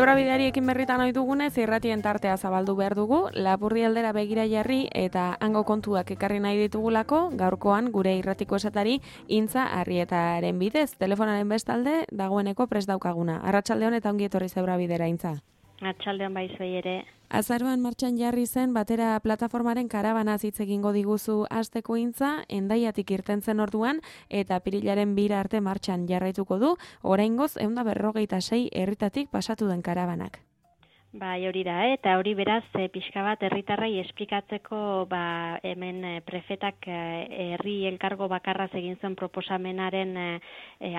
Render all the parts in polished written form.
Zebrabideari ekin berritan ohi dugunez, irratien tartea zabaldu behar dugu, Lapurdi aldera begira jarri eta hango kontuak ekarri nahi ditugulako, gaurkoan gure irratiko esatari Intza Arrietaren bidez, telefonaren bestalde dagoeneko prest daukaguna. Arratsaldeon eta ongi etorri Zebrabidera, Intza. Arratsaldeon bai zuei ere. Azaroan martxan jarri zen batera plataformaren karabanaz hitz egingo diguzu hasteko, Intza, Hendaiatik irten zen orduan eta apirilaren 2 arte martxan jarraituko du, oraingoz 156 herritatik pasatu den karabanak. Bai, hori da, eta hori beraz pixka bat herritarrei esplikatzeko hemen prefetak herri elkargo bakarraz egin zen proposamenaren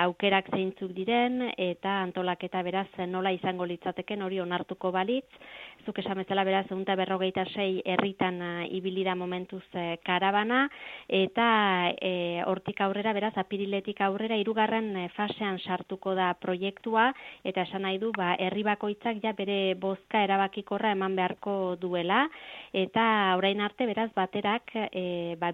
aukerak zeintzuk diren eta antolaketa beraz nola izango litzateken hori onartuko balitz. Zuk esan bezala beraz 156 herritan ibili da momentuz karabana eta hortik aurrera beraz apiriletik aurrera 3. Fasean sartuko da proiektua eta esan nahi du herri bakoitzak ja bere bozka erabakikorra eman beharko duela eta orain arte beraz baterak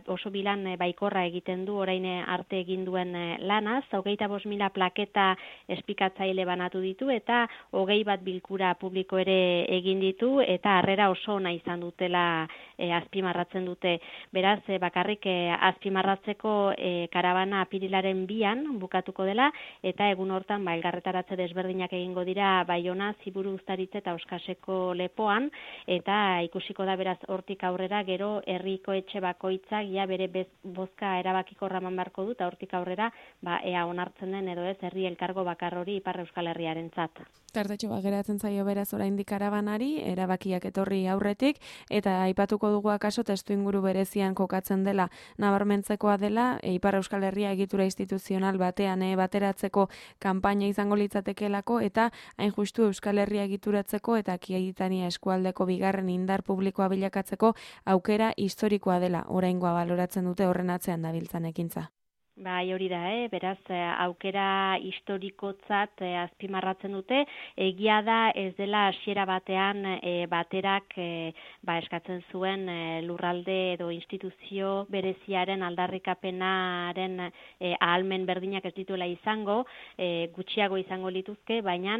oso bilan baikorra egiten du orain arte egin duen lanaz, 25.000 plaketa esplikatzaile banatu ditu eta 21 bilkura publiko ere egin ditu eta harrera oso ona izan dutela azpimarratzen dute. Beraz, bakarrik azpimarratzeko karabana apirilaren 2an bukatuko dela eta egun hortan elgarretaratze desberdinak egingo dira Baiona, Ziburu, Uztaritze eta Oskaseko lepoan eta ikusiko da beraz hortik aurrera gero herriko etxe bakoitzak ja bere bozka erabakikorra eman beharko du eta hortik aurrera ea onartzen den edo ez herri elkargo bakar hori Ipar Euskal Herriarentzat. Tartetxo geratzen zaio beraz oraindik karabanari, erabakiak etorri aurretik, eta aipatuko dugu akaso testuinguru berezian kokatzen dela, nabarmentzekoa dela, Ipar Euskal Herria egitura instituzional batean bateratzeko kanpaina izango litzatekelako, eta hain justu Euskal Herria egituratzeko eta Akitania eskualdeko bigarren indar publikoa bilakatzeko aukera historikoa dela, oraingoa baloratzen dute horren atzean dabiltzan ekintza. Bai, hori da, beraz, aukera historikotzat azpimarratzen dute, egia da ez dela hasiera batean baterak eskatzen zuen lurralde edo instituzio bereziaren aldarrikapenaren ahalmen berdinak ez dituela izango, gutxiago izango lituzke, baina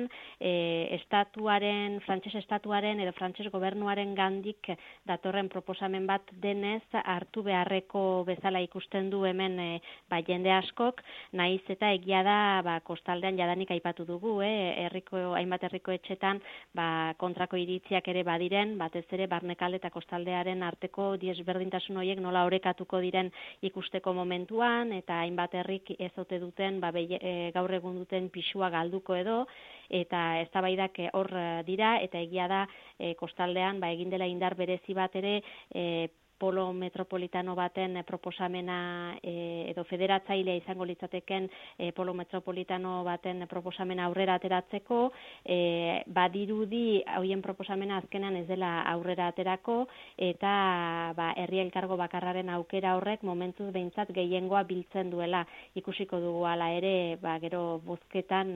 frantses estatuaren edo frantses gobernuaren gandik datorren proposamen bat denez hartu beharreko bezala ikusten du hemen jende askok, nahiz eta egia da kostaldean jadanik aipatu dugu, hainbat herriko etxetan kontrako iritziak ere badiren, batez ere Barnekalde eta kostaldearen arteko desberdintasun horiek nola orekatuko diren ikusteko momentuan, eta hainbat herrik ez ote duten gaur egun duten pisua galduko edo, eta eztabaidak hor dira, eta egia da kostaldean egin dela indar berezi bat ere polo metropolitano baten proposamena edo federatzailea izango litzateken polo metropolitano baten proposamena aurrera ateratzeko, badirudi hoien proposamena azkenan ez dela aurrera aterako eta herri elkargo bakarraren aukera horrek momentuz behintzat gehiengoa biltzen duela. Ikusiko dugu hala ere gero bozketan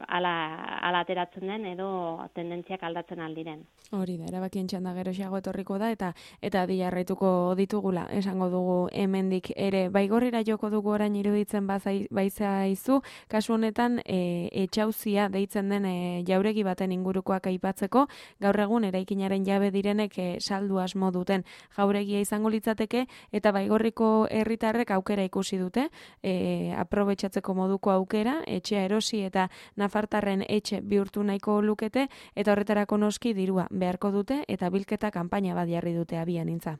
hala ateratzen den edo tendentziak aldatzen aldiren. Hori da, erabakien txanda geroxeago etorriko da eta adi jarraituko ditugula, esango dugu hemendik ere. Baigorrira joko dugu orain iruditzen baizaizu, kasu honetan etxauzia deitzen den jauregi baten ingurukoak aipatzeko, gaur egun eraikinaren jabe direnek saldu asmo duten jauregia izango litzateke eta Baigorriko herritarrek aukera ikusi dute, aprobetxatzeko moduko aukera, etxea erosi eta nafartarren etxe bihurtu nahiko lukete eta horretarako noski dirua beharko dute eta bilketa kanpaina bat jarri dute abian, Intza.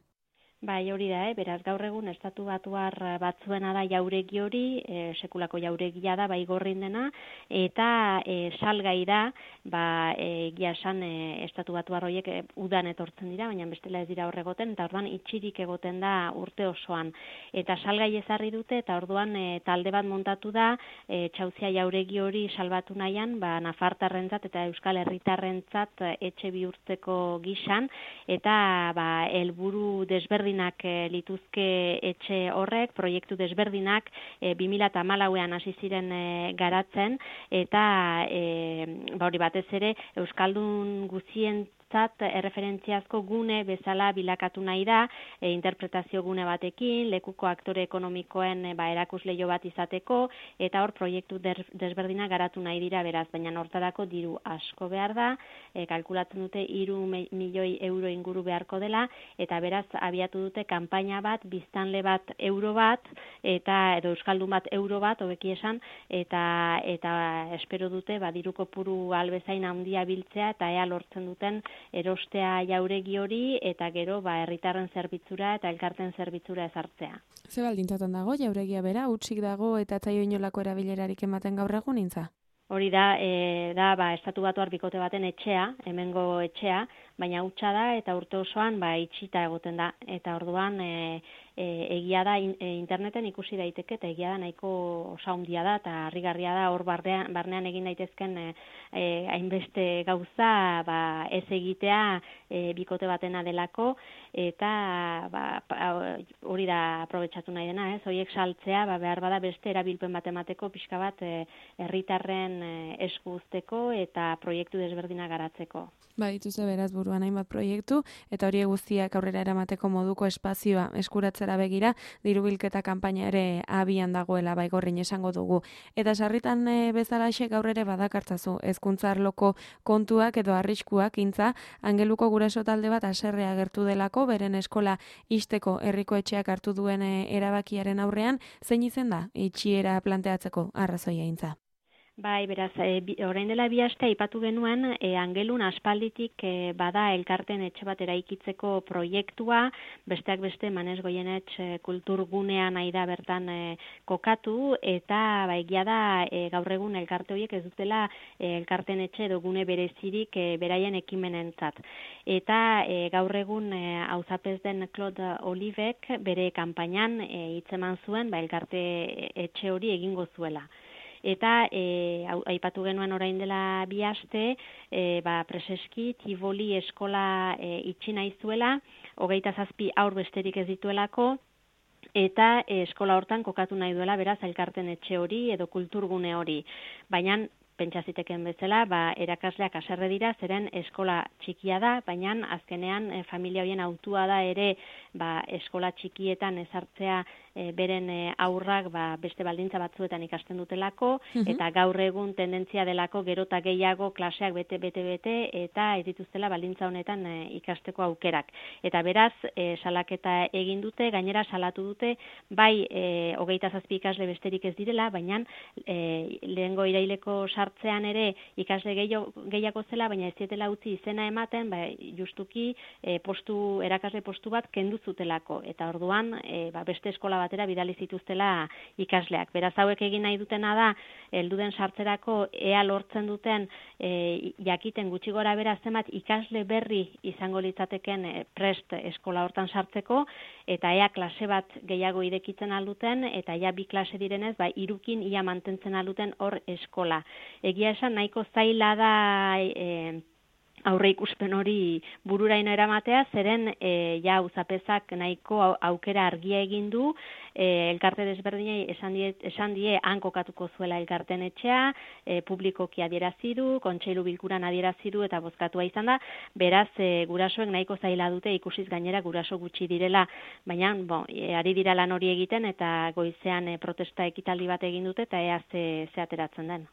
Bai, hori da, beraz gaur egun estatu batuar batzuena da jauregi hori, sekulako jauregia da Baigorrin dena, eta salgai da, egia esan estatu batuar horiek udan etortzen dira, baina bestela ez dira hor egoten, eta orduan itxirik egoten da urte osoan. Eta salgai ezarri dute, eta orduan talde bat montatu da, txauzia jauregi hori salbatu nahian, nafartarrentzat eta euskal herritarrentzat etxe bihurtzeko gisan, eta helburu desberdinak lituzke etxe horrek, proiektu desberdinak 2014an hasi ziren garatzen eta hori batez ere euskaldun guztien entzat erreferentziazko gune bezala bilakatu nahi da, interpretazio gune batekin, lekuko aktore ekonomikoen erakusleio bat izateko, eta hor proiektu desberdina garatu nahi dira beraz, baina hortarako diru asko behar da, kalkulatzen dute 3 milioi euro inguru beharko dela, eta beraz abiatu dute kanpaina bat, biztanle bat euro bat, edo euskaldun bat euro bat, hobeki esan, eta espero dute diru kopuru albezain handia biltzea, eta ea lortzen duten erostea jauregi hori, eta gero herritarren zerbitzura eta elkarten zerbitzura ezartzea. Ze baldintzatan dago jauregia bera, hutsik dago eta zaio inolako erabilerarik ematen gaur egun intza? Hori da Estatu Batuar bikote baten etxea, hemengo etxea, baina hutsa da eta urte osoan itxita egoten da. Eta orduan egia da interneten ikusi daiteke eta egia da nahiko oso handia da eta harrigarria da hor barnean egin daitezken hainbeste gauza ez egitea bikote batena delako eta hori da aprobetxatu nahi dena, horiek saltzea behar bada beste erabilpen bat emateko pixka bat herritarren esku uzteko eta proiektu desberdina garatzeko. Dituzte beraz buruan hainbat proiektu eta hori guztiak aurrera eramateko moduko espazioa eskuratzera begira dirubilketa kanpaina ere abian dagoela Baigorrin esango dugu. Eta sarritan bezalaxe gaur ere badakartzazu hezkuntza arloko kontuak edo arriskuak intza Angeluko guraso talde bat haserrea agertu delako beren eskola ixteko herriko etxeak hartu duen erabakiaren aurrean zein izen da itxiera planteatzeko arrazoia intza. Beraz, orain dela 2 aste aipatu genuen, Angelun aspalditik bada elkarten etxe bat eraikitzeko proiektua, besteak beste Manes Goienetx kulturgunea nahi da bertan kokatu, eta egia da gaur egun elkarte horiek ez dutela elkarten etxe edo gune berezirik beraien ekimenentzat. Eta gaur egun auzapez den Claude Olivek bere kanpainan hitzeman zuen elkarte etxe hori egingo zuela. Eta aipatu genuen orain dela 2 aste, Preseski Tivoli eskola itxi nahi zuela, 27 haur besterik ez dituelako, eta eskola hortan kokatu nahi duela beraz elkarten etxe hori edo kulturgune hori. Baina pentsaziteken bezala, erakasleak haserre dira, zeren eskola txikia da, baina azkenean familia horien hautua da ere eskola txikietan ezartzea beren aurrak beste baldintza batzuetan ikasten dutelako, eta gaur egun tendentzia delako gerota gehiago klaseak bete, eta ez dituztela baldintza honetan ikasteko aukerak. Eta beraz, salaketa egin dute, gainera salatu dute, 27 ikasle besterik ez direla, baina lehengo iraileko sartzean ere ikasle gehiago zela, baina ez dietela utzi izena ematen, justuki erakasle postu bat kendu zutelako, eta orduan beste eskola batera bidali zituztela ikasleak. Beraz hauek egin nahi dutena da, helduden sartzerako ea lortzen duten jakiten gutxi gora bera zenbat ikasle berri izango litzateken prest eskola hortan sartzeko, eta ea klase bat gehiago irekitzen alduten, eta ea 2 klase direnez, 3kin ia mantentzen alduten hor eskola. Egia esan nahiko zaila da aurre ikusten hori bururaino eramatea, zeren auzapezak nahiko aukera argia egin du, elkarte desberdinei esan die han kokatuko zuela elkarten etxea, publikoki adierazi du, kontseilu bilkuran adierazi du eta bozkatua izan da, beraz gurasoek nahiko zaila dute ikusiz gainera guraso gutxi direla, baina ari dira lan hori egiten eta goizean protesta ekitaldi bat egin dute eta ea ze ateratzen den.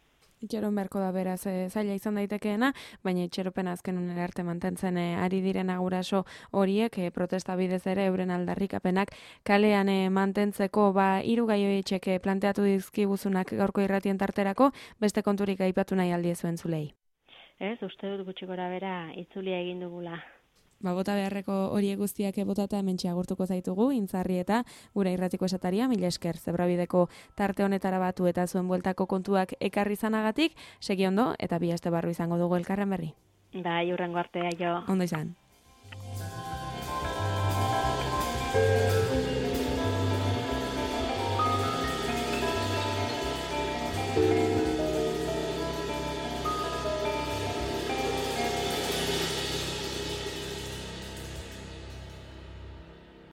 Itxeron beharko da beraz zaila izan daitekeena, baina itxeropen azken unera arte mantentzen ari direna guraso horiek protesta bidez ere euren aldarrikapenak kalean mantentzeko 3 gai horiek planteatu dizkiguzunak gaurko irratien tarterako, beste konturik aipatu nahi aldiezuen zulei. Uste dut gutxi gora bera itzulia egin dugula. Bota beharreko horiek guztiak botata hementxe agurtuko zaitugu, Intzarri eta gure irratiko esataria, mila esker, Zebrabideko tarte honetara batu eta zuen bueltako kontuak ekarri zanagatik, segi ondo eta 2 aste barru izango dugu elkarren berri. Hurrengo artea jo. Ondo izan.